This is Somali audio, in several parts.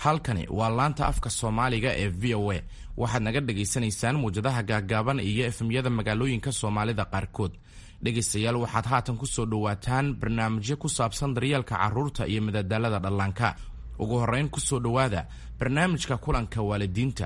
Halkani waa laanta afka Soomaaliga ee VOA. Waxaad naga dhagaysanaysaan muwjadaha gaaggaaban iyo FM-yada magaalooyinka Soomaalida qaarkood. Dhegaystayaal, waxaad haatan ku soo dhowaataan barnaamijyo ku saabsan daryeelka carruurta iyo madadaalada dhallaanka. Ugu horrayn, ku soo dhowaada barnaamijka kulanka waalidiinta.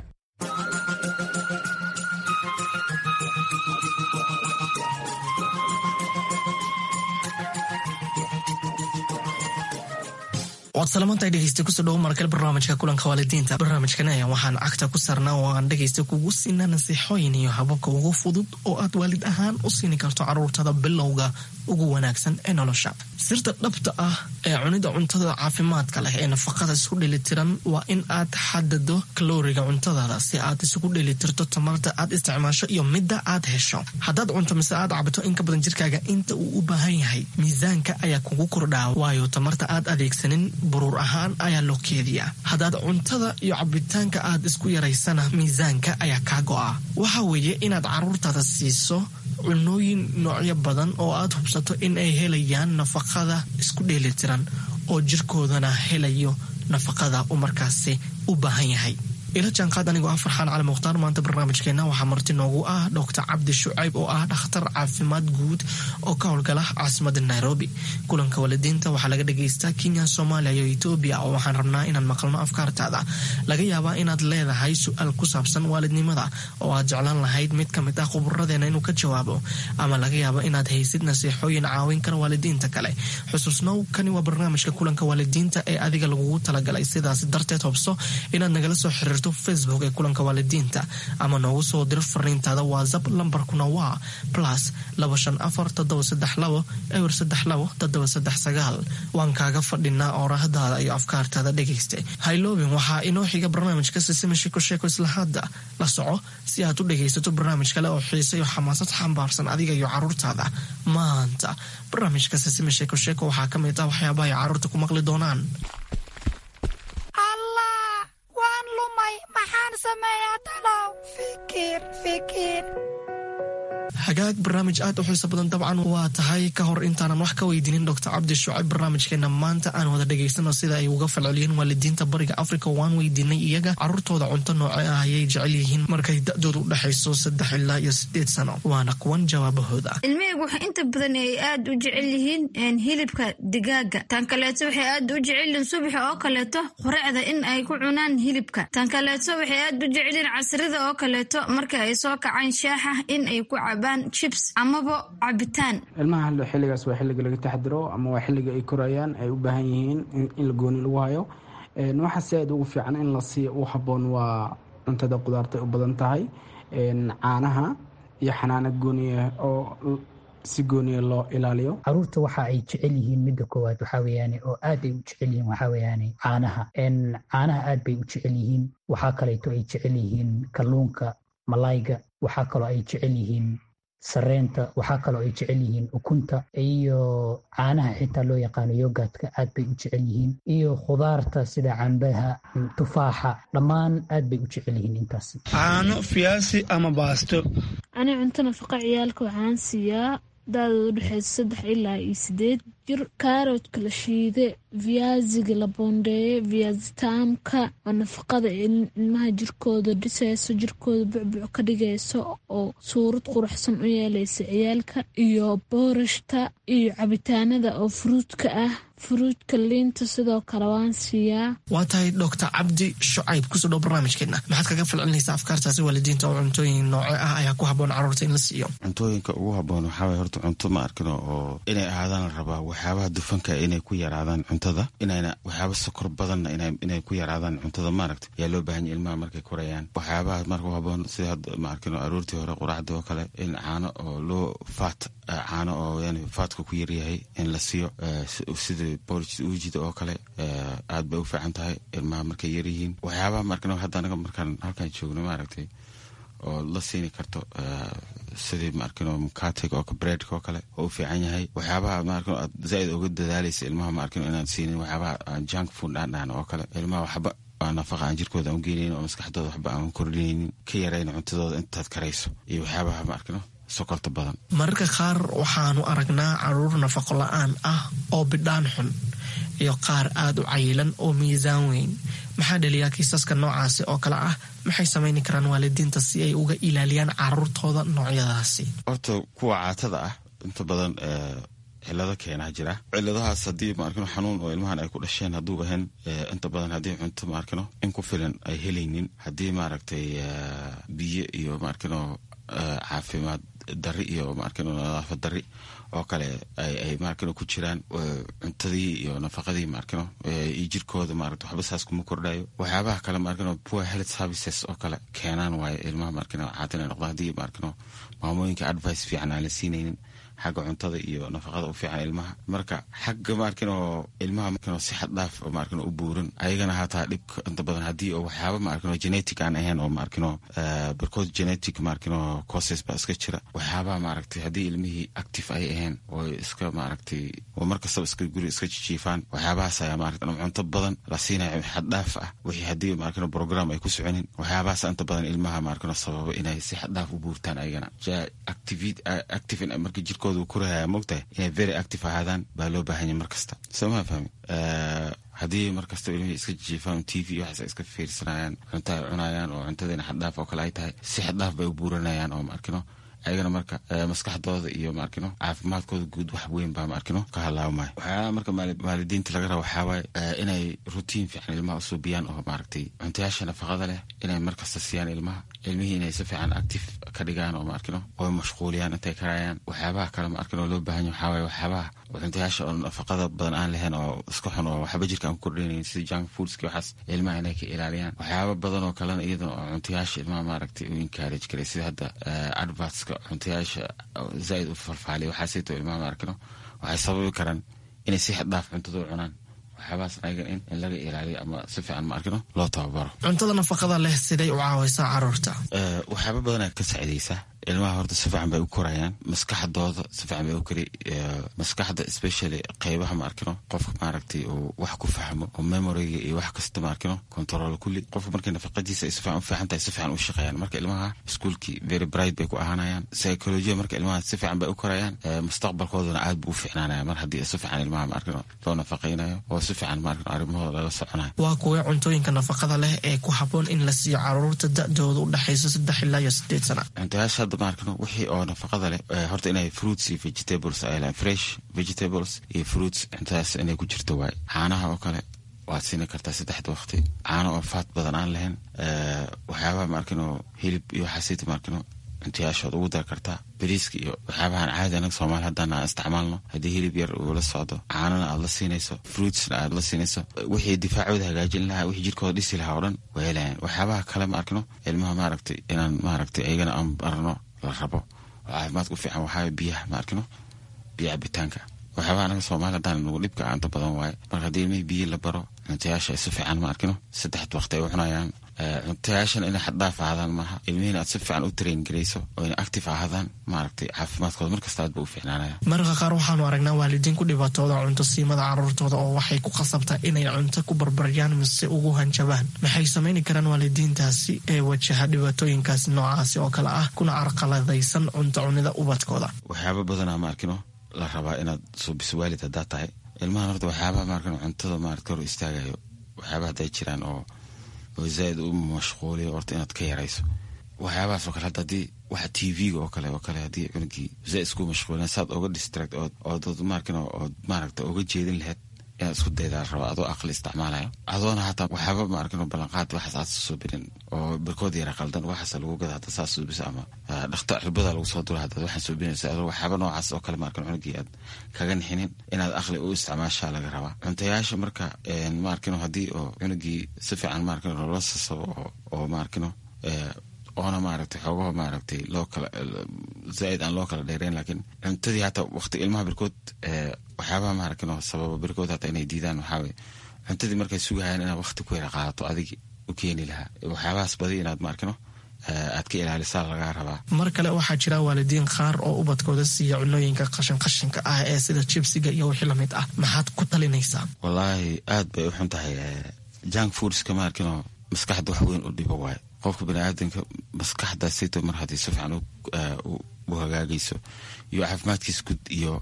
Waad salamantahay, dhegeysta. Kusoo dhawo markale barnaamijka kulanka waalidiinta. Barnaamijkan ayaa waxaan cagta ku saarnaa oo aan dhegeysta kugu siinaa nasiixooyin iyo hababka ugu fudud oo aad waalid ahaan u siini karto caruurtada bilowga ugu wanaagsan ee nolosha. Sirta dhabta ah ee cunida cuntada caafimaadka leh ee nafaqada isku dheelitiran waa in aad xadado kalooriga cuntadaada si aad isugu dheelitirto tamarta aad isticmaasho iyo midda aad hesho. Haddaad cunto mise aad cabto in ka badan jirkaaga inta uu u baahan yahay, miisaanka ayaa kugu kordhaa, waayo tamarta aad adeegsanin buruur ahaan ayaa loo keediyaa. Haddaad cuntada iyo cabitaanka aad isku yaraysana, miisaanka ayaa kaa go'a. Waxa weeye inaad caruurtaada siiso cunooyin noocyo badan oo aad hubsato in ay helayaan nafaqada isku dheelitiran oo jirkoodana helayo nafaqada uu markaasi u baahan yahay. Ila jaanqaad anigoo ah Farxaan Cali Mukhtaar. Maanta barnaamijkeena waxaa marti noogu ah Doctor Cabdi Shucayb oo ah dhakhtar caafimaad guud oo ka howlgala caasimada Nairobi. Kulanka waalidiinta waxaa laga dhagaystaa Kenya, Soomaaliya iyo Etoobiya, oo waxaan rabnaa inaan maqalno afkaartaada. Laga yaabaa inaad leedahay su-aal ku saabsan waalidnimada oo aad jeclaan lahayd mid ka mid ah khuburadeena inuu ka jawaabo, ama laga yaabo inaad haysid nasiixooyin caawin kara waalidiinta kale. Xusuusnow, kani waa barnaamijka kulanka waalidiinta ee adiga lagugu talagalay. Sidaas darteed, hobso inaad nagala soo xiriirto Facebook ee kulanka waalidiinta ama noogu soo diro fariintaada WhatsApp. Lambarkuna waa +254 732 032 739. Waan kaaga fadhinaa oorahdaada iyo afkaartaada, dhegaysta. Hayloobin, waxaa inoo xiga barnaamijka Sisima Sheeko Sheeko. Isla hadda la soco si aad u dhegaysato barnaamij kale oo xiise iyo xamaasad xambaarsan adiga iyo caruurtaada. Maanta barnaamijka Sisima Sheeko Sheeko waxaa ka mid ah waxyaabaha ay caruurta ku maqli doonaan. Allah, waan lumay! Maxaan sameeyaa talow? Fikir, fikir. Hagaag, barnaamij aad u xiiso badan dabcan waa tahay. Ka hor intaanan wax ka weydiinin Doctor Cabdi Shucayb barnaamijkeena maanta, aan wada dhegaysano sida ay uga falceliyeen waalidiinta Bariga Africa. Waan weydiinay iyaga caruurtooda cunto nooce ah ayay jecel yihiin markay da-doodu u dhexayso 3 ilaa iyo 8 sano. Waana kuwan jawaabahooda. Ilmahaygu waxay inta badan ay aad u jecel yihiin hilibka digaaga. Tan kaleeto, waxay aad u jecel yihiin subaxa oo kaleeto quraacda in ay ku cunaan hilibka. Tan kaleeto, waxay aad u jecel yihiin casrida oo kaleeto marka ay soo kacaan shaaxa in ay ku cabaan chips amaba cabitaan. Ilmaha xilligaas waa xilliga laga taxdiro ama waa xilliga ay korayaan, ay u baahan yihiin in la gooni lagu hayo. Waxa si aad ugu fiican in la siiyo u habboon waa cuntada qudaarta u badan tahay, caanaha iyo xanaano gooniya oo si gooniya loo ilaaliyo. Caruurta waxa ay jecel yihiin, midda koowaad waxaa weeyaane oo aad ay u jecel yihiin, waxaa weeyaane caanaha. Caanaha aad bay u jecel yihiin. Waxaa kaleeto ay jecel yihiin kalluunka, malayga. Waxaa kaloo ay jecel yihiin sareenta. Waxaa kaloo ay jecel yihiin ukunta iyo caanaha xitaa loo yaqaano yogurtka, aad bay u jecel yihiin, iyo khudaarta sida cambaha, tufaaxa, dhammaan aad bay u jecel yihiin intaas. Caano, fiyaasi ama baasto. Ani cunto nafaqa ciyaalka waxaan siiyaa da-dooda udhexeysa 3 ilaa iyo 8 jir kaaroodka la shiide, viyaasiga la boondeeye, viyaasitaamka oo nafaqada ilmaha jirkooda dhiseyso, jirkooda bucbuc ka dhigayso oo suurad quruxsan u yeeleysa ciyaalka, iyo boorashta iyo cabitaanada oo furuudka ah, furuudka liinta sidoo kale waan siiyaa. Waa tahay. Doctor Cabdi Shucayb, kusoo dhow barnaamijkeena. Maxaad kaga falcelinaysaa afkaartaasi waalidiinta oo cuntooyin nooce ah ayaa ku habboon carruurta in la siiyo? Cuntooyinka ugu habboon waxaa waye horta cunto ma arkino oo inay ahaadaan la rabaa waxyaabaha dufanka inay ku yaraadaan cuntada, inayna waxyaaba sokor badanna inay ku yaraadaan cuntada, maaragta, yaa loo baahan yahay ilmaha markay korayaan. Waxyaabaha marka u habboon sida hadda, ma arkino, aroortii hore quraacda oo kale in caano oo loo faat, caano oo yani faatka ku yaryahay in la siiyo, sida porridge uujida oo kale, aad bay u fiican tahay ilmaha markay yaryihiin. Waxyaabaha markan hadda anaga markaan halkaan joogno, maaragtay, oo la siini karto sidii, ma arkino, mukatiga oo breadka oo kale oo u fiican yahay. Waxyaabaha, ma arkino, aad zaaid uga dadaalaysa ilmaha, ma arkino, inaan siinin waxyaabaha junk food aan dhahno oo kale, ilmaha waxba nafaqa aan jirkooda aan u geenaynin oo maskaxdooda waxba aan kordhinaynin. Ka yarayn cuntadooda intaad karayso iyo waxyaabaha, ma arkino, sokorta badan. Mararka qaar waxaanu aragnaa caruur nafaqo la-aan ah oo bidhaan xun. iyo qaar aada u cayilan oo miisaan weyn. Maxaa dhaliyaa kiisaska noocaasi oo kale ah? Maxay samayni karaan waalidiinta si ay uga ilaaliyaan caruurtooda noocyadaasi? Horta kuwa caatada ah inta badan cilado keenaa jira. Ciladahaas haddii maarkino xanuun oo ilmahan ay ku dhasheen hadduu ahayn, inta badan haddii cunto maarkino in ku filan ay helaynin, haddii maaragtay biyo iyo maarkino caafimaad dari iyo maarkino nadaafad dari oo kale ay maarkino ku jiraan cuntadii iyo nafaqadii maarkino iyo jirkooda maaragta waxba saas kuma kordhayo. Waxyaabaha kale maarkino poor health services oo kale keenaan waayo ilmaha maarkino caatin ay noqdaan, haddii maarkino maamooyinka advice fiican aan la siinaynin xagga cuntada iyo nafaqada u fiican ilmaha. Marka xagga maarkino ilmaha maarkino si xad dhaaf maarkino u buuran ayagana hataa dhibka inta badan haddii oo waxyaaba maarkino genetic aan ahayn oo maarkino barkood genetic maarkino causes baa iska jira. Waxyaabaha maaragtay haddii ilmihii active ay ahayn oo iska maaragtay oo markastaba iska guri iska jijiifaan, waxyaabahaas ayaa maaragtay cunto badan la siinayo xad dhaaf ah, wixii haddii maarkino program ay ku soconin, waxyaabahaas inta badan ilmaha maarkino sababa inay si xad dhaaf u buurtaan ayagana. Active marka jirkooda kurahaya mogtahay inay very active ahaadaan baa loo baahanya mar kasta, soo maa fahmi? Haddii mar kastaba ilmihii iska jijiifaan, TV waxaas ay iska fiirsanayaan, cunto ay cunayaan oo cuntadiina xaddhaaf oo kale ay tahay, si xaddhaaf bay u buuranayaan oo maarkino ayagana marka maskaxdooda iyo maarkino caafimaadkooda guud wax weyn baa maarkino ka halaabmaya. Waxyaalaha marka waalidiinta laga raba waxaa waaye inay rutiin fiican ilmaha usuubiyaan oo maaragtay cuntayaasha nafaqada leh inay markasta siiyaan ilmaha, ilmihii inay si fiican active ka dhigaan oo maarkino oo mashquuliyaan intay karayaan. Waxyaabaha kale maarkino loo baahan yahay waxaa waaye waxyaabaha cuntayaasha oo nafaqada badan aan lahayn oo iska xun oo waxba jirka aan ku kordhinaynin, sida junk foodski, waxaas ilmaha inay ka ilaaliyaan. Waxyaaba badan oo kalena iyadana oo cuntayaasha ilmaha maaragtay u encourage karay, sida hadda advertska cuntayaasha zaaid u falfaaliya, waxaasayto ilmaha maarkino waxay sababi karaan inay si xad dhaaf cuntada u cunaan. Waxyaabahaas ayaga in laga ilaaliyo ama si fiican maarkino loo tababaro. Cuntada nafaqada leh siday u caawaysaa caruurta? Waxyaaba badanaa ka saacidaysaa ilmaha. Horta si fiican bay u korayaan, maskaxdooda si fiican bay u kori, maskaxda especially qeybaha maarkino qofka maaragtay uu wax ku fahmo oo memoryga iyo wax kasta maarkino control kulli. Qofka markay nafaqadiisa ay si fiican u fiican tahay, si fiican u shaqeeyaan. Marka ilmaha iskuulkii very bright bay ku ahaanayaan, psychology marka ilmaha si fiican bay u korayaan, mustaqbalkoodana aad buu u fiicnaanaya mar haddii si fiican ilmaha maarkino loo nafaqaynayo oo si fiican maarkino arrimahooda lala soconayo. Waa kuwee cuntooyinka nafaqada leh ee ku habboon in la siiyo caruurta da-dooda u dhexayso 3 ilaa iyo 8 sana? Cuntayaasha hadda maarkino wixii oo nafaqada leh horta inay fruits iyo vegetables ay lahayn, fresh vegetables iyo fruits, cuntadaas inay ku jirto waay. Caanaha oo kale waad siini kartaa saddexda waqti, caano oo faat badan aan lahayn. Waxyaabaha maarkino hilib iyo waxaasita maarkino cuntayaashood ugu dar kartaa, bariiska iyo waxyaabahan caadi anaga Soomaali haddana aan isticmaalno. Haddii hilib yar uu la socdo, caanana aad la siinayso, fruitsna aad la siinayso, wixii difaacooda hagaajin lahaa, wixii jirkooda dhisi lahaa oo dhan way helayaan. Waxyaabaha kale ma arkino ilmaha maaragtay inaan maaragtay ayagana aan barno la rabo oo caafimaadka u fiican waxaa biyaha ma arkino, biyo cabitaanka. Waxyaabaha anaga Soomaali haddaan nagu dhibka inta badan waaye. Marka haddii ilmihii biyo la baro, cuntayaasha ay si fiican ma arkino saddexda waqti ay u cunayaan, cuntayaashan inay xaddhaaf ahaadaan maaha, ilmihiina aad si fiican u train garayso oo inay active ahaadaan, maaragtay caafimaadkooda markasta aad ba u fiicnaanaya. Mararka qaar waxaanu aragnaa waalidiin ku dhibaatooda cunto siimada caruurtooda oo waxay ku khasabtaa inay cunto ku barbaryaan mise ugu hanjabaan. Maxay samayni karaan waalidiintaasi ee wajaha dhibaatooyinkaas noocaasi oo kale ah kuna carqaladaysan cunto cunida ubadkooda? Waxyaaba badanaa ma arkino la rabaa inaad suubiso waalid haddaa tahay ilmahan. Horta waxyaabaha maarkino cuntada maarata hor istaagayo, waxyaabaha hadday jiraan oo zaaid u mashquuliyo, horta inaad ka yarayso waxyaabahaas oo kale. Hadda haddii waxa TV-ga oo kale haddii cunugii zaaid isku mashquulina, saad oga distract ood maarkino ood maaragta oga jeedin lahayd inaad isku daydaa la rabaa, adoo aqli isticmaalayo, adoona hataa waxyaaba maarkino ballanqaad waxaas aad suubinin oo barkood yara qaldan waxaas lagu gada hadda saas suubisa ama dhakta cirbada lagu soo dura haddaad waxaan suubinaysa, adoo waxyaaba noocaas oo kale maarkino cunugii aad kaga nixinin, inaad aqli u isticmaashaa laga rabaa cuntayaasha. Marka maarkino haddii oo cunugii si fiican maarkino loola sasabo oo maarkino oona maaragtay xoogaho maaragtay loo kala zaaid aan loo kala dheereyn, laakiin cuntadii hataa waqti ilmaha barkood waxyaabaha maaragtay sababa barkood hataa inay diidaan waxaa waye cuntadii markay sugahayaan inaad waqti ku yara qaadato adigi u keeni lahaa. Waxyaabahaas badi inaad maarkino aad ka ilaalisaa lagaa rabaa. Mar kale waxaa jira waalidiin qaar oo ubadkooda siiya cunooyinka qashin qashinka ah ee sida jibsiga iyo wixii lamid ah. Maxaad ku talinaysaa? Wallaahi aad bay u xun tahay junk foodska maarkino, maskaxda wax weyn u dhibo waayo. Qofka baniaadanka maskaxda sito mar haddii si fiican u hagaagayso iyo caafimaadkiisa guud iyo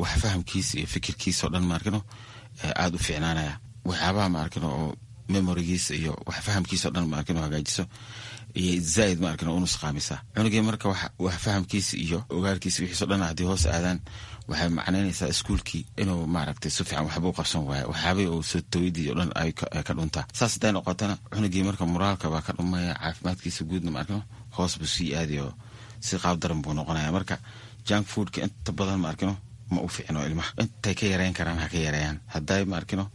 wax fahamkiisa iyo fikirkiisa oo dhan maarkino Aada u fiicnaanaya waxyaabaha ma arkin oo memorigiisa iyo wax fahamkiisa o dhan ma arkin oo hagaajiso iyo zaaid ma arkin oo u nusqaamisa cunugii. Marka wax fahamkiisa iyo ogaalkiisa wixiiso dhan haddii hoos aadaan, waxay macnaynaysaa iskuulkii inuu maaragtay si fiican waxba u qabsan waayo, waxyaabihii uu soo tawidii o dhan ay ka dhuntaa. Saas hadday noqotana, cunugii marka moraalka baa ka dhumaya, caafimaadkiisa guudna ma arkino hoos buu sii aadayo, si qaab daran buu noqonaya. Marka junk foodka inta badan ma arkino ma u fiicno ilmaha. Intay ka yareyn karaan ha ka yareeyaan. Hadday ma arkino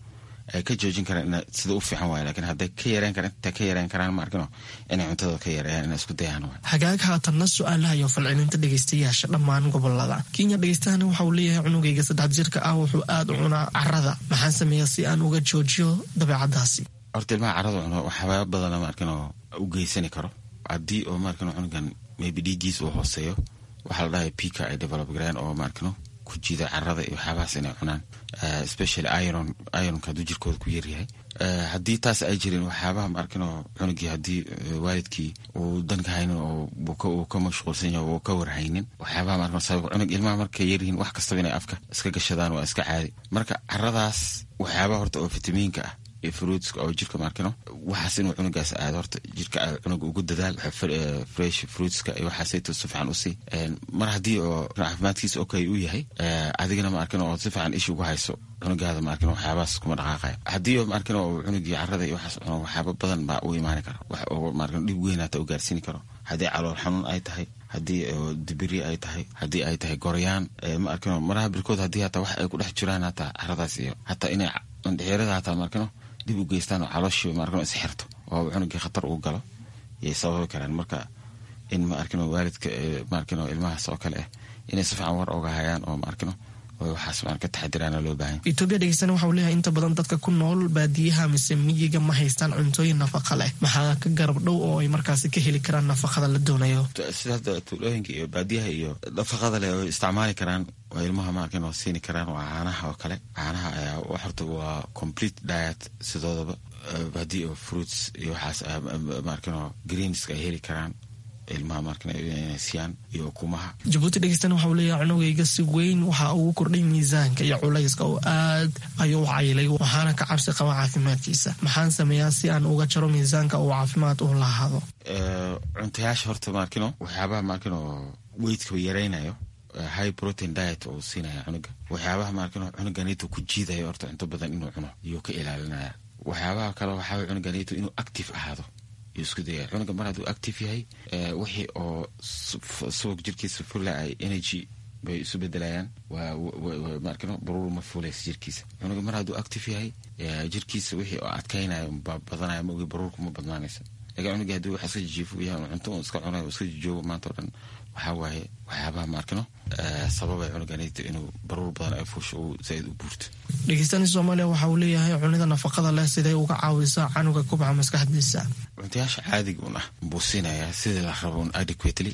ay ka joojin karaan ina sida u fiican waay, lakin hadday ka yareyn karaan, intay ka yareyn karaan ma arkino inay cuntada ka yareeyaan, inay isku dayaan waay. Hagaag, haatanna su-aalaha iyo falcelinta dhegeystayaasha dhammaan gobolada Kenya. Dhegeystahani waxa uu leeyahay: cunugayga 3 jirka ah wuxuu aada u cunaa carada, maxaan sameeyaa si aan uga joojiyo dabeecadaasi? Horta ilmaha carada cuno waxyaaba badana ma arkino u geysani karo. Haddii oo ma arkino cunugan maybe dhiiggiis uu hooseeyo, waxaa la dhahay pica ay develop gareen oo ma arkino ku jiida carada iyo waxyaabahaas inay cunaan, especially iron. Ironka hadduu jirkooda ku yaryahay, haddii taas ay jirin, waxyaabaha ma arkino cunugii haddii waalidkii uu danka haynin oo uu ka mashquulsan yahay, uu ka warhaynin waxyaabaha ma arkino sabab cunug. Ilmaha markay yaryihiin wax kastaba inay afka iska gashadaan waa iska caadi. Marka caradaas waxyaabaha horta oo fitamiinka ah iyo fruitska oo jirka maarkino waxaas inuu cunugaas aado, horta jirka cunuga ugu dadaal fresh fruitska iyo waxaasayto si fiican usii. Mar haddii oo caafimaadkiisa okay uu yahay, adigana ma arkin oo si fiican ishi ugu hayso cunugaada, ma arkin waxyaabahaas kuma dhaqaaqaya. Haddii oo ma arkin oo cunugii carada iyo waxaas cuno, waxyaaba badan baa u imaani kara, wax oo ma arkin dhib weyn hata u gaarsiini karo. Haddii calool xanuun ay tahay, haddii dibiri ay tahay, haddii ay tahay goryaan, ma arkino maraha birkood haddii hataa wax ay ku dhex jiraan hataa caradaas iyo hataa inay indhexeerada hataa ma arkino dib u geystaan oo calooshii ma arkino isxirto oo cunugii khatar uu galo yay sababi karaan. Marka in ma arkino waalidka ma arkino ilmahaas oo kale ah inay si fiican war oga hayaan oo ma arkino waxaas maan ka taxadiraana loo baahan. Etoobiya dhegeystana waxa uu leeyahay: inta badan dadka ku nool baadiyaha mise miyiga ma haystaan cuntooyin nafaqa leh, maxaa ka garab dhow oo ay markaasi ka heli karaan nafaqada la doonayo? Sida hadda tuulooyinka iyo baadiyaha iyo nafaqada leh oo isticmaali karaan oo ilmaha ma arkin oo siini karaan waa caanaha oo kale. Caanaha ayaa horta waa complete diet sidoodaba. Haddii oo fruits iyo waxaas ma arkin oo greenska ay heli karaan ilmaha markan inay siiyaan iyo ukumaha. Jabuuti dhegeystana waxa uu leeyahay: cunugayga si weyn waxa ugu kordhay miisaanka iyo culayska oo aad ayuu u cayilay, waxaana ka cabsi qaba caafimaadkiisa. Maxaan sameeyaa si aan uga jaro miisaanka uu caafimaad u lahaado? Cuntayaasha horta maarkino waxyaabaha maarkino weightka yaraynayo, high protein diet oo siinaya cunuga. Waxyaabaha maarkino cunuganito ku jiidayo horta cunto badan inuu cuno iyuu ka ilaalinaya. Waxyaabaha kale waxaa cunuganito inuu active ahaado yuu isku dayaya. Cunuga mar hadduu active yahay, wixii oo subag jirkiisa fula ay energy bay isu bedelayaan, maarkino baruur ma fuulaysa jirkiisa. Cunuga mar hadduu active yahay, jirkiisa wixii oo adkaynaya baa badanaya, ma ogi baruurku ma badnaanaysa. Lakin cunuga hadduu wax iska jijiifo yahay, cunto uu iska cunayo, iska jijoogo maanta o dhan, waxaa waaye waxyaabaha maarkino sababay cunuganito inuu baruur badan ay fuusho, uu zaaid u buurto. Dhegeystani Soomaaliya waxa uu leeyahay: cunida nafaqada leh sidee uga caawisaa canuga kubca maskaxdiisa? Cuntayaasha caadiga un ah buu siinayaa sidii la rabo un adequately,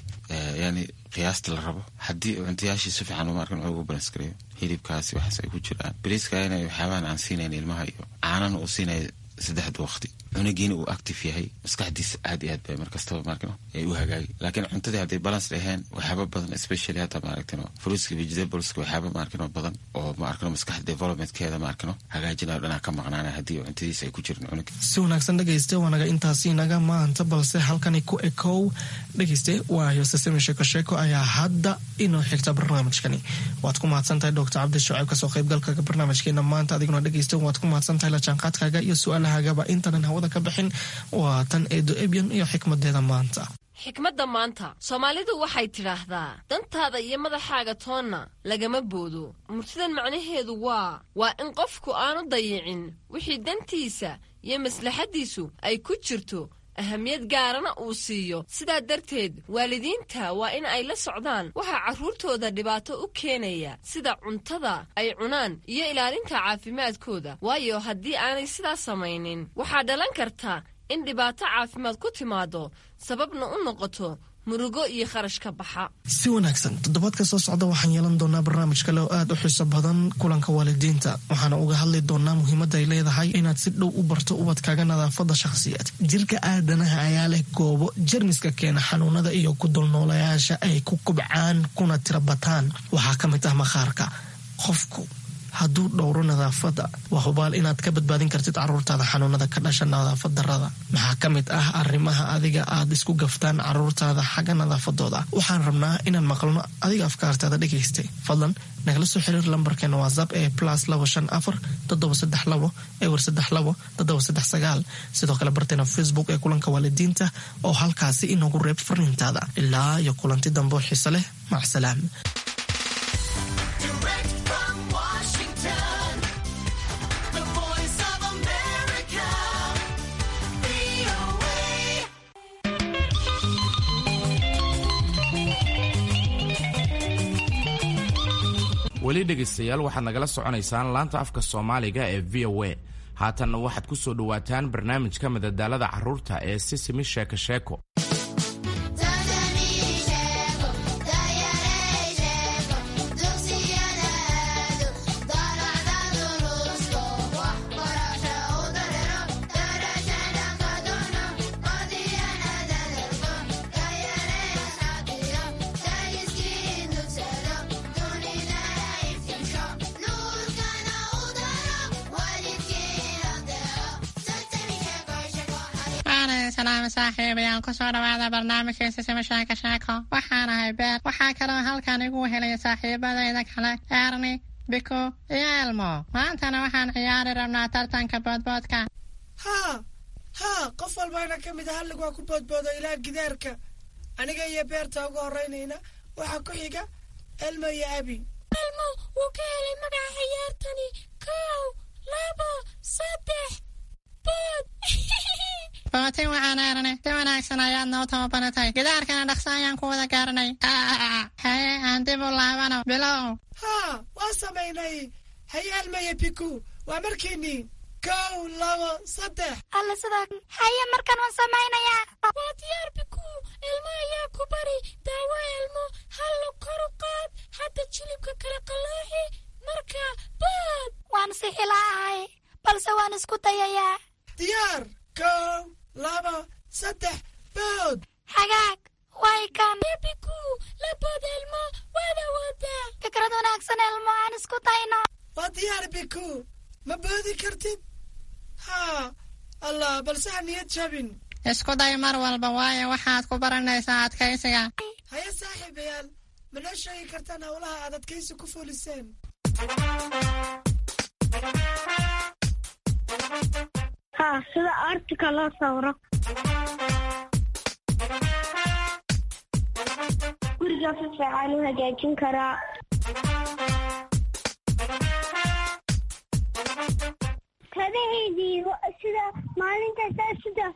yani qiyaasta la rabo. Haddii cuntayaashii si fiican maarkan ugu balance gareeyo, hilibkaasi waxaas ay ku jiraan, bariiska ina waxyaabahan aan siinayn ilmaha iyo caanana uu siinaya saddexda waqti, cunugiina uu active yahay, maskaxdiisa aad iyo aad bay markastaba maarkino ay u hagaagi. Laakiin cuntadii hadday balance dhaheen, waxyaaba badan, especially hadda maaragtino fruitska, vegetables-ka, waxyaaba maarkino badan oo maarkino maskaxda developmentkeeda maarkino hagaajinayo dhanaa ka maqnaanaya haddii cuntadiisa ay ku jirin cunuga. Si wanaagsan dhegeyste, waanaga intaasi naga maanta, balse halkani ku ekow dhegeyste, waayo sasami sheeko sheeko ayaa hadda inoo xigta barnaamijkani. Waad ku mahadsantahay Doctor Cabdi Shucayb kasoo qaybgalka barnaamijkeena maanta. Adiguna dhegeyste waad ku mahadsantahay la jaanqaadkaaga iyo su-aalahagaba. Intaanan hawada ka bixin, waa tan Eedo Ebyan iyo xikmadeeda maanta. Xikmadda maanta, Soomaalidu waxay tidhaahdaa: dantaada iyo madaxaaga toonna lagama boodo. Murtidan macnaheedu waa in qofku aanu dayicin wixii dantiisa iyo maslaxaddiisu ay ku jirto, ahamiyad gaarana uu siiyo. Sidaa darteed waalidiinta waa in ay la socdaan waxaa carruurtooda dhibaato u keenaya, sida cuntada ay cunaan iyo ilaalinta caafimaadkooda, waayo haddii aanay sidaas samaynin waxaa dhalan karta in dhibaato caafimaad ku timaado, sababna u noqoto murugo iyo kharash ka baxa. Si wanaagsan, toddobaadka soo socda waxaan yeelan doonaa barnaamij kale oo aada u xiiso badan, kulanka waalidiinta. Waxaana uga hadli doonaa muhiimadda ay leedahay inaad si dhow u barto ubadkaaga nadaafadda shakhsiyaed. Jirka aadanaha ayaa leh goobo jermiska keena xanuunada iyo ku dulnoolayaasha ay ku kubcaan kuna tira bataan. Waxaa ka mid ah maqaarka. Qofku hadduu dhowro nadaafadda, waa hubaal inaad ka badbaadin kartid caruurtaada xanuunada ka dhasha nadaafad darada. Maxaa ka mid ah arrimaha adiga aad isku gaftaan caruurtaada xagga nadaafadooda? Waxaan rabnaa inaan maqalno adiga afkaartaada dhegaystay. Fadlan nagala soo xiriir lambarkeena WhatsApp ee +254 732 032 739. Sidoo kale barteena Facebook ee Kulanka Waalidiinta oo halkaasi inoogu reeb fariintaada. Ilaa iyo kulanti dambe oo xiise leh, macsalaam. Direct from Washington, the voice of America, VOA. Weli dhegaystayaal, waxaad nagala soconaysaan laanta afka Soomaaliga ee VOA. Haatanna waxaad ku soo dhowaataan barnaamijka madadaalada carruurta ee Sisimi Sheeko Sheeko. Salaam saaxiibayaal, kusoo dhawaada barnaamijka Sisima Sheeko Sheeko. Waxaan ahay Beer. Waxaa kaloo halkan igu helaya saaxiibadayda kale Erni, Biko iyo Elmo. Maantana waxaan ciyaari rabnaa tartanka boodboodka. Haa haa, qof walbaana ka mid a hallig waa ku boodboodo ilaa gidaarka. Aniga iyo Beerta ugu horraynayna, waxaa ku xiga Elmo iyo Abi. Elmo wuu ka helay magaca ciyaartani. Kow, labo, saddex, bood! Bootin waxaan Erne, si wanaagsan ayaad noo tababaratay. Gidaarkana dhaqso ayaan ku wada gaaranay. Haye, aan dib u laabano. Bilow! Haa, waa samaynay. Haye Elmo iyo Biku, waa markiinii. Kow, labo, saddex! Alla, sidaa. Haye, markan waan samaynayaa. Waa diyaar, Biku. Elmo ayaa ku bari daawo. Elmo, hallo, kor u qaad hadda jilibka kala qalooxi, marka bood! Waan sixilaahay, balse waan isku dayayaa. Diyaar! Kow, laba, saddex, bood! Hagaag, way kan. Biku, la bood Elmo, waad awoodaa. Fikrad wanaagsan, Elmo, aan isku dayno. Waa diyaar, Biku. Ma boodi kartid? Haa, Allah, balse ha niyad jabin. Isku day mar walba, waayo waxaad ku baranaysaa adkaysiga. Haye saaxiibayaal, ma noo sheegi kartaan howlaha aad adkaysi ku fuliseen? Haa, sida artika loo sawiro. Guriga si fiican u hagaajin karaa. Kabahaydii sida maalintaas sida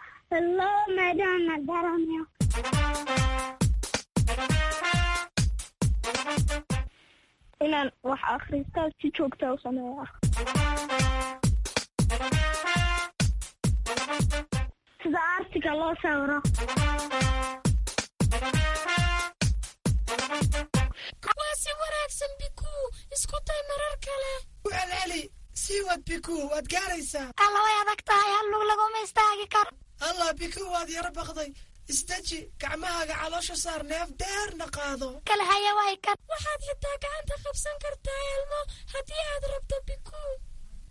loo maadhaana garanayo. Inaan wax akhristo si joogta u sameeya. Sida artiga loo sawiro. Waa si wanaagsan, Biku. Isku day marar kale. Ku celceli, sii wad Biku, waad gaaraysaa. Alla, way adag tahay, hal lug laguma istaagi karo. Allah, Biku, waad yaro baqday. Isdeji, gacmahaaga caloosha saar, neef dheerna qaado. Kale haya, way kan. Waxaad xitaa gacanta qabsan kartaa Elmo haddii aad rabto, Biku.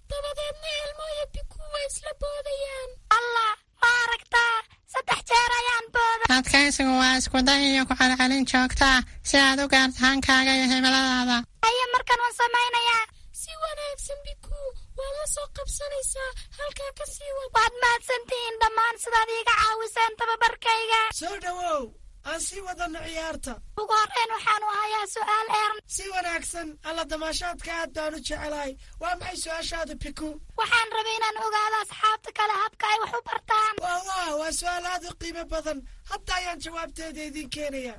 Dabadeedna Elmo iyo Biku way isla boodayaan. Allah, ma aragtaa? Saddex jeer ayaan booda. Adkaysigu waa isku day iyo ku celcelin joogtaa si aad u gaarto hankaaga iyo himiladaada. Haye, markan waan samaynayaa. Si wanaagsan, Biku, waad la soo qabsanaysaa. Halkaa ka sii wad. Waad mahadsantihiin dhammaan sidaad iiga caawiseen tababarkayga. Soo dhowow, aan sii wadano ciyaarta. Ugu horreyn waxaanu hayaa su'aal, Ern. Si wanaagsan. Alla, damaashaadka aad baan u jecelahay. Waa maxay su'aashaada, Biku? Waxaan rabay inaan ogaado asxaabta kale habka ay wax u bartaan. Waa waa waa su'aal aad u qiimo badan. Hadda ayaan jawaabteeda idiin keenaya.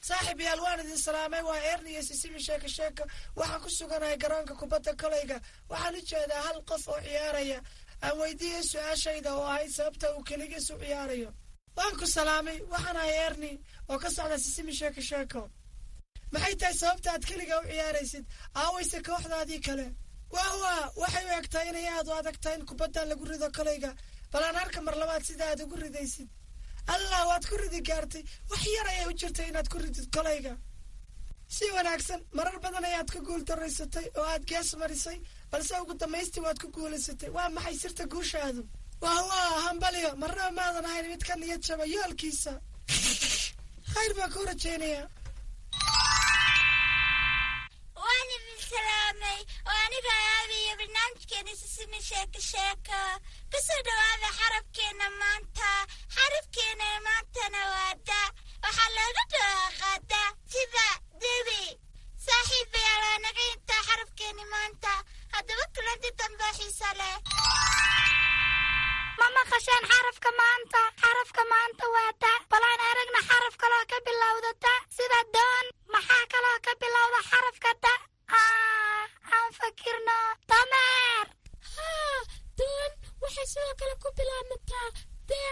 Saaxiib yaal, waan idin salaamay. Waa Erni iyo Sisimi Sheeko Sheeko. Waxaan ku suganahay garoonka kubadda kolayga. Waxaan u jeedaa hal qof oo ciyaaraya. Aan weydiiyey su-aashayda oo ahayd sababta uu keligiis u ciyaarayo. Waan ku salaamay. Waxaan ahay Erni oo ka socda Sisimi Sheeko Sheeko. Maxay tahay sababta aad keliga u ciyaaraysid? Aawayse kooxdaadii kale? Waa waa waxay u egtahay inay aad u adag tahay in kubaddan lagu rido kolayga. Bal aan arka mar labaad sida aad ugu ridaysid. Allah, waad ku ridi gaartay. Wax yar ayay u jirtay inaad ku ridid kolayga. Si wanaagsan, marar badan ayaad ku guul daraysatay oo aad gees marisay, balse ugu dambaystii waad ku guulaysatay. Waa maxay sirta guushaadu? Wah wah, hambaliyo! Marnaba maadan ahayn mid ka niyad jaba yoolkiisa. Khayr baan kuu rajaynayaa. Waan idin salaamay oo aniga aabiyo barnaamijkeena Sisimi Sheeko Sheeko. Kusoo dhawaada xarabkeena maanta. Xarabkeena maantana waa da. Waxaa looga dhawaaqaa da sida dibi. Saaxiibayaal, waa naga intaa xarabkeeni maanta. Haddaba kulanti dambe xiisa leh. Ma maqasheen xarafka maanta? Xarafka maanta waa da. Balaan aragna xaraf kaloo ka bilowda da, sida doon. Maxaa kaloo ka bilowda xarafka da? Aan fakirno. Dameer. Haa, doon waxay sidoo kale ku bilaabmataa da.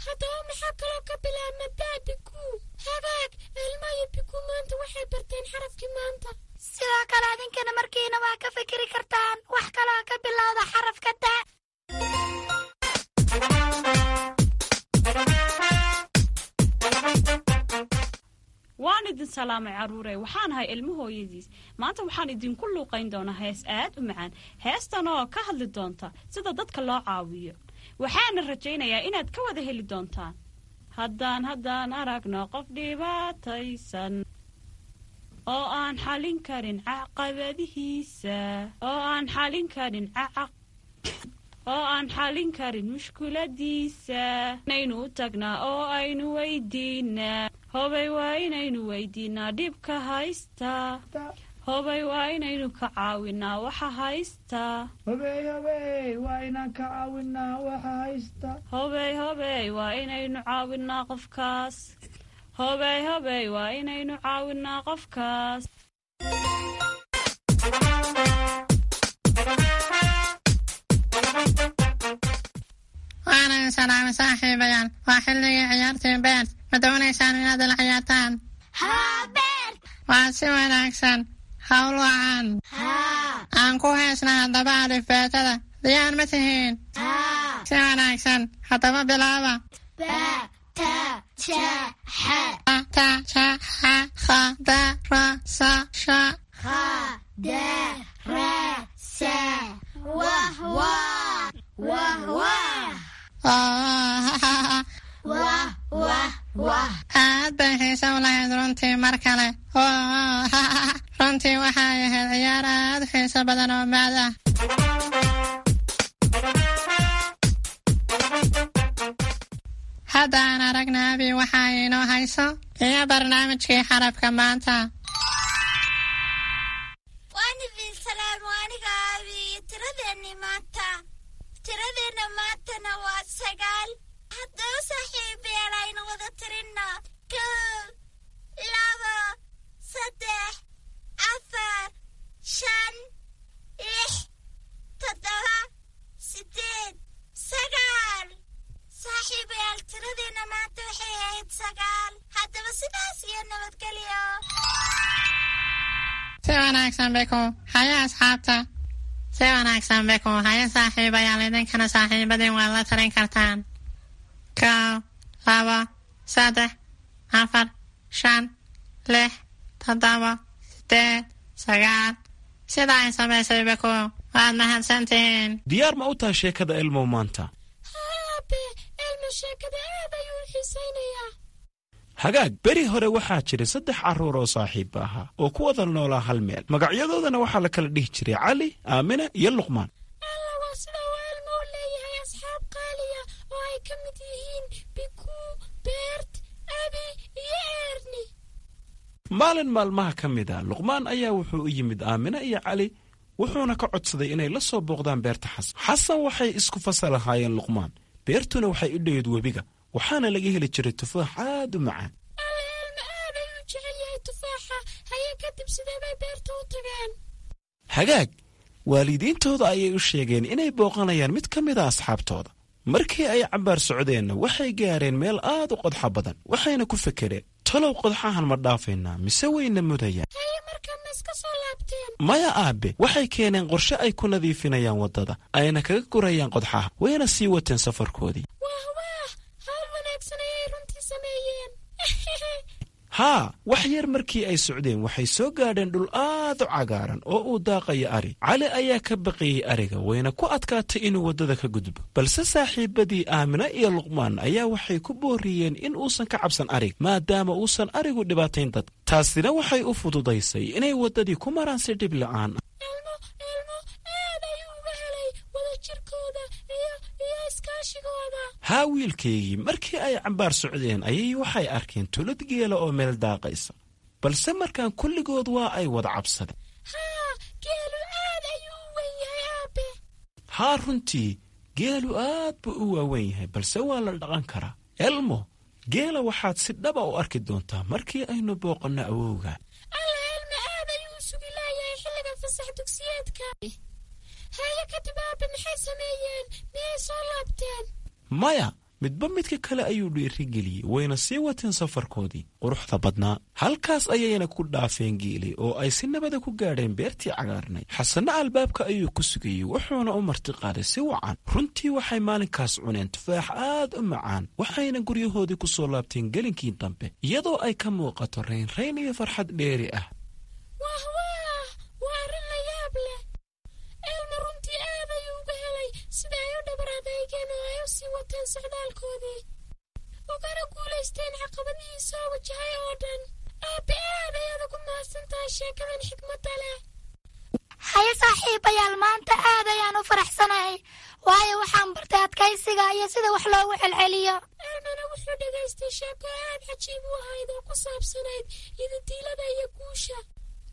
Haddaba maxaa kaloo ka bilaabma da, Biku? Hagaag, Elmo iyo Biku maanta waxay barteen xarafkii maanta. Sidoo kale adinkana markiina waa ka fikiri kartaan wax kaloo ka bilowda xarafka da. Waan idin salaamay, carruure. Waxaan ahay Ilmo hooyadiis. Maanta waxaan idinku luuqayn doonaa hees aad u macaan, heestan oo ka hadli doonta sida dadka loo caawiyo. Waxaana rajaynayaa inaad ka wada heli doontaan. Haddaan aragno qof dhibaataysan oo aan xalin karin caqabadihiisa, oo aan xalin karin cacaq oo aan xalin karin mushkuladiisa, inaynu u tagnaa oo aynu weydiinaa. Hobay, waa inaynu weydiinaa dhibka haysta. Hobay, waa inaynu ka caawinaa waxa haysta. Hobey, hobey, waa inaan ka caawinaa waxa haysta. Hobey, hobey, waa inaynu caawinaa qofkaas. Hobey, hobey, waa inaynu caawinaa qofkaas. Waana idin salaamay, saaxiibayaal. Waa xilligii ciyaartii Beert. Ma doonaysaan inaad ila ciyaartaan? Haa, Beert. Waa si wanaagsan. Hawl wacan. Aan ku heesna haddaba alifbeetada. Diyaar ma tihiin? Si wanaagsan, haddaba bilaaba. Ba, ta, ja, xa. A, ta, ja, xa, kha, da, ra, sa, sha. Kha, da, ra, sa. Wah wah wah wah. Wah wah wah. Aad bay xiise u lahayd runtii. Mar kale. Runtii waxay ahayd ciyaar aad u xiiso badan oo maad ah. Hadda aan aragna Abi waxa inoo hayso iyo barnaamijkii xarabka maanta. Waan idin salaam, waa aniga aabi iyo tiradeenni maanta. Tiradeenna maantana waa 9. Haddaba saaxiibayaal, aynu wada tirinno: 1, 2, 3, 4, 5, 6, 7, 8, 9. Saaxiibayaal, tiradeenna maanta waxay ahayd 9. Haddaba sidaas iyo nabadgelyo. Si wanaagsan, Beku. Haya asxaabta. Si wanaagsan, Beku. Haya saaxiibayaal, idinkana saaxiibadin waad la tarin kartaan: 1, 2, 3, 4, 5, 6, 7, 8, 9, sida ay samaysay Beku. Waad mahadsantihiin. Diyaar ma u tahay sheekada Elmow maanta? Haa aabe, Elmo sheekada aad ayuu u xiisaynayaa. Hagaag, beri hore waxaa jiray saddex carruur oo saaxiibba ahaa oo ku wada noolaa hal meel. Magacyadoodana waxaa la kala dhihi jiray Cali, Aamina iyo Luqmaan. Alla, waa sida uu Elmo u leeyahay asxaab qaaliya oo ay ka mid yihiin Biku, Beert, Abi iyo Erni. Maalin maalmaha ka mid a, Luqmaan ayaa wuxuu u yimid Aamina iyo Cali, wuxuuna ka codsaday inay la soo booqdaan beerta Xasan. Xasan waxay isku fasal ahaayeen Luqmaan. Beertuna waxay u dhoweyd webiga, waxaana laga heli jiray tufaax aad u macaan. Alla, Elmo aad ayuu jecel yahay tufaaxa. Haye, kadib sidee bay beerta u tageen? Hagaag, waalidiintooda ayay u sheegeen inay booqanayaan mid ka mid a asxaabtooda. Markii ay cabbaar socdeenna, waxay gaareen meel aad u qodxa badan, waxayna ku fekereen: talow qodxahan ma dhaafaynaa mise wayna mudayaan? Haye, markaa ma iska soo laabteen? Maya aabe, waxay keeneen qorshe ay ku nadiifinayaan waddada ayna kaga gurayaan qodxaha, wayna sii wateen safarkoodii. Wah wah, hawl wanaagsan ayay runtii. sameeyeen? Haa, wax yar markii ay socdeen waxay soo gaadheen dhul aad u cagaaran oo uu daaqayo ari. Cali ayaa ka baqayey ariga, wayna ku adkaatay inuu waddada ka gudbo, balse saaxiibadii Aamina iyo Luqmaan ayaa waxay ku booriyeen in uusan ka cabsan arig, maadaama uusan arigu dhibaatayn dadka. Taasina waxay u fududaysay inay waddadii ku maraan si dhib la'aan ah. Elmo, Elmo aad ayuu uga helay wadajirkooda iyo iskaashigooda. Haa wiilkaygii, markii ay cambaar socdeen ayay waxay arkeen tulad geela oo meel daaqaysa, balse markaan kulligood waa ay wada cabsadeen. Haa, geelu aad ayuu u weyn yahay, aabe. Haa, runtii geelu aad buu u waaweyn yahay, balse waa la dhaqan karaa. Elmo, geela waxaad si dhaba u arki doontaa markii aynu booqanno awowga. Alla, Elmo aad ayuu u sugi laayahay xilliga fasax dugsiyeedka. Haye, kadib aabe maxay sameeyeen? Miyay soo laabteen? Maya, midba midka kale ayuu dhiirigeliyey, wayna sii wateen safarkoodii quruxda badnaa. Halkaas ayayna ku dhaafeen geeli oo ay si nabada ku gaadheen beertii cagaarnay. Xasanna albaabka ayuu ku sugayey, wuxuuna u martiqaaday si wacan. Runtii waxay maalinkaas cuneen tufaax aad u macaan, waxayna guryahoodii ku soo laabteen gelinkii dambe, iyadoo ay ka muuqato raynrayn iyo farxad dheeri ah. Wah wah, waa arrin la yaab leh. Elmo runtii aad ayuu uga helay sida ay u dhabar adeygeen oo ay u sii wateen socdaalkoodii, ugana guulaysteen caqabadihii soo wajahay oo dhan. Aabe, aad ayaad ugu mahadsan tahay sheekadan xikmadda leh. Haye saaxiibayaal, maanta aad ayaan u faraxsanahay, waayo waxaan bartay adkaysiga iyo sida wax loogu celceliyo. Elmana wuxuu dhegaystay sheeko aad cajiib u ahayd oo ku saabsanayd yididiilada iyo guusha.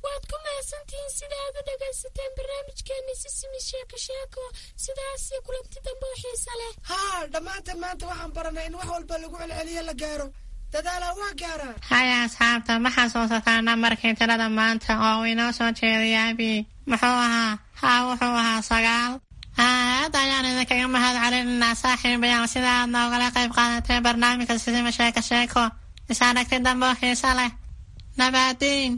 Waad ku mahadsantihiin sida aad u dhegaysateen barnaamijkeenni Sisimi Sheeko Sheeko. Sidaas iyo kulanti dambe oo xiisa leh. Haa, dhammaanteen maanta waxaan baranay in wax walba lagu celceliyo la gaaro. Dadaalaa waa gaaraa. Haya asxaabta, ma xasuusataa nambarkii tirada maanta oo uu inoo soo jeediyay abi? Muxuu ahaa? Haa, wuxuu ahaa 9. Aad ayaan idinkaga mahad celinaynaa saaxiibayaal sida aad noogala qayb qaadateen barnaamijka Sisima Sheeko Sheeko. Is aragti dambe oo xiisa leh. Nabaadiin.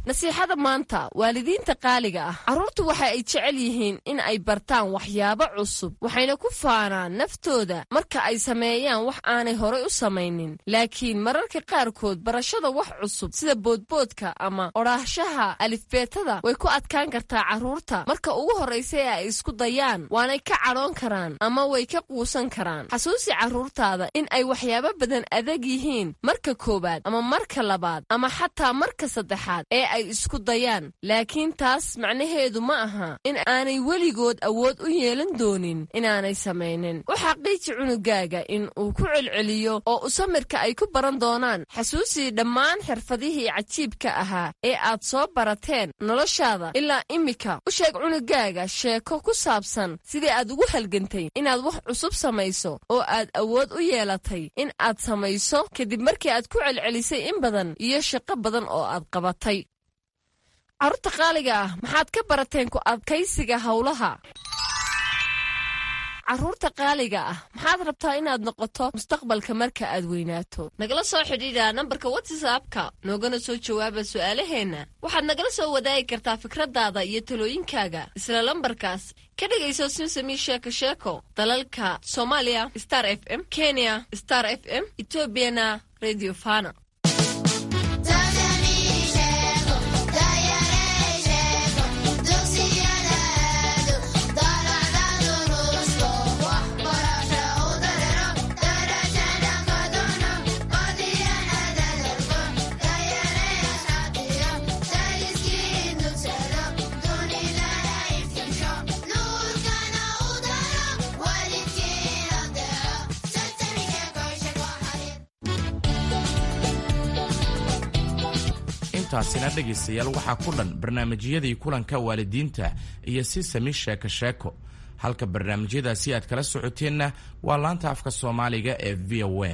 Nasiixada maanta, waalidiinta qaaliga ah: carruurtu waxa ay jecel yihiin in ay bartaan waxyaabo cusub, waxayna ku faanaan naftooda marka ay sameeyaan wax aanay horay u samaynin. Laakiin mararka qaarkood barashada wax cusub sida boodboodka ama odhaahshaha alifbeetada way ku adkaan kartaa carruurta marka ugu horraysa ee ay isku dayaan, waanay ka cadhoon karaan ama way ka quusan karaan. Xasuusi carruurtaada in ay waxyaabo badan adag yihiin marka koowaad ama marka labaad ama xataa marka saddexaad ee ay isku dayaan, laakiin taas macnaheedu ma aha in aanay weligood awood u yeelan doonin inaanay samaynin. U xaqiiji cunugaaga in uu ku celceliyo oo u samirka ay ku baran doonaan. Xasuusii dhammaan xirfadihii cajiibka ahaa ee aad soo barateen noloshaada ilaa immika. U sheeg cunugaaga sheeko ku saabsan sidii aad ugu halgantay inaad wax cusub samayso oo aad awood u yeelatay in aad samayso kadib markii aad ku celcelisay in badan iyo shaqo badan oo aad qabatay. Carruurta qaaliga ah, maxaad ka barateen ku adkaysiga howlaha? Carruurta qaaliga ah, maxaad rabtaa inaad noqoto mustaqbalka marka aad weynaato? Nagala soo xidhiidha nambarka WhatsAppka, noogana soo jawaaba su'aalaheenna. Waxaad nagala soo wadaagi kartaa fikradaada iyo talooyinkaaga isla lambarkaas. Ka dhegayso Simsami Sheeko Sheeko dalalka Soomaaliya Star FM, Kenya Star FM, Etoobiyana Radio Fana. Intaasina dhegaystayaal waxaa ku dhan barnaamijyadii kulanka waalidiinta iyo Sisami Sheeko Sheeko. Halka barnaamijyadaasi aad kala socoteenna waa laanta afka Soomaaliga ee VOA.